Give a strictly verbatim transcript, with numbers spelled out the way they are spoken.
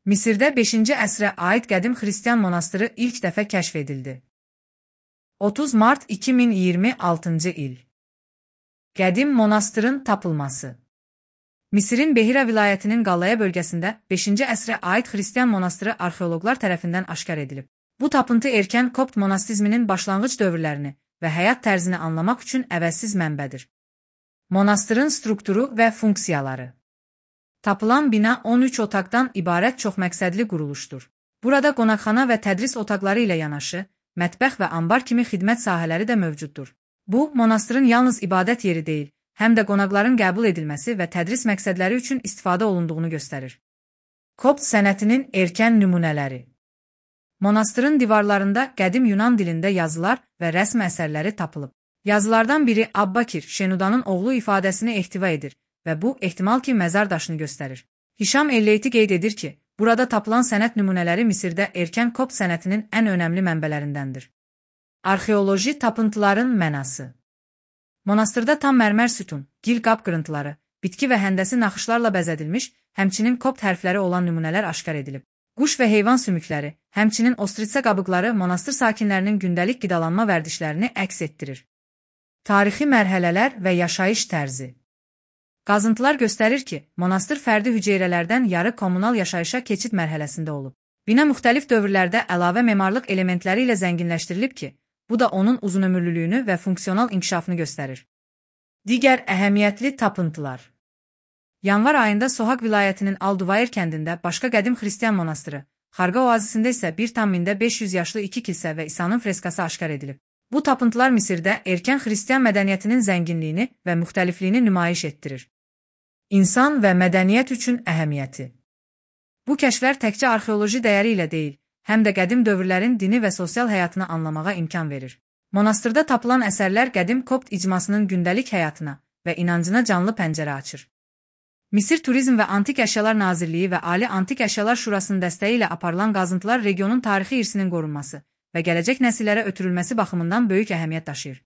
Misirdə beşinci əsrə aid qədim xristian monastırı ilk dəfə kəşf edildi. otuz mart iki min iyirmi altıncı il. Qədim monastırın tapılması. Misirin Behira vilayətinin Qallaya bölgəsində beşinci əsrə aid xristian monastırı arxeoloqlar tərəfindən aşkar edilib. Bu tapıntı erkən Kopt monastizminin başlanğıc dövrlərini və həyat tərzini anlamaq üçün əvəzsiz mənbədir. Monastırın strukturu və funksiyaları. Tapılan bina on üç otaqdan ibarət çoxməqsədli quruluşdur. Burada qonaqxana və tədris otaqları ilə yanaşı, mətbəx və ambar kimi xidmət sahələri də mövcuddur. Bu, monastırın yalnız ibadət yeri deyil, həm də qonaqların qəbul edilməsi və tədris məqsədləri üçün istifadə olunduğunu göstərir. Kopt sənətinin erkən nümunələri. Monastırın divarlarında qədim Yunan dilində yazılar və rəsm əsərləri tapılıb. Yazılardan biri Abbakir, Şenudanın oğlu ifadəsini ehtiva edir və bu, ehtimal ki, məzar daşını göstərir. Hişam Elleyti qeyd edir ki, burada tapılan sənət nümunələri Misirdə erkən Kopt sənətinin ən önəmli mənbələrindəndir. Arxeoloji tapıntıların mənası. Monastırda tam mərmər sütun, gil qab qırıntıları, bitki və həndəsi naxışlarla bəzədilmiş, həmçinin Kopt hərfləri olan nümunələr aşkar edilib. Quş və heyvan sümükləri, həmçinin ostritsa qabıqları monastır sakinlərinin gündəlik qidalanma vərdişlərini əks etdirir. Tarixi mərhələlər və yaşayış tərzi. Qazıntılar göstərir ki, monastır fərdi hüceyrələrdən yarı kommunal yaşayışa keçid mərhələsində olub. Bina müxtəlif dövrlərdə əlavə memarlıq elementləri ilə zənginləşdirilib ki, bu da onun uzunömürlülüyünü və funksional inkişafını göstərir. Digər əhəmiyyətli tapıntılar. Yanvar ayında Sohaq vilayətinin Alduvayr kəndində başqa qədim xristian monastırı, Xarqa oazisində isə bir tam mində beş yüz yaşlı iki kilsə və İsa'nın freskası aşkar edilib. Bu tapıntılar Misirdə erkən xristian mədəniyyətinin zənginliyini və müxtəlifliyini nümayiş etdirir. İnsan və mədəniyyət üçün əhəmiyyəti. Bu kəşflər təkcə arxeoloji dəyəri ilə deyil, həm də qədim dövrlərin dini və sosial həyatını anlamağa imkan verir. Monastırda tapılan əsərlər qədim Kopt icmasının gündəlik həyatına və inancına canlı pəncərə açır. Misir Turizm və Antik Əşyalar Nazirliyi və Ali Antik Əşyalar Şurasının dəstəyi ilə aparılan qazıntılar regionun tarixi irsinin qorunması və gələcək nəsillərə ötürülməsi baxımından böyük əhəmiyyət daşıyır.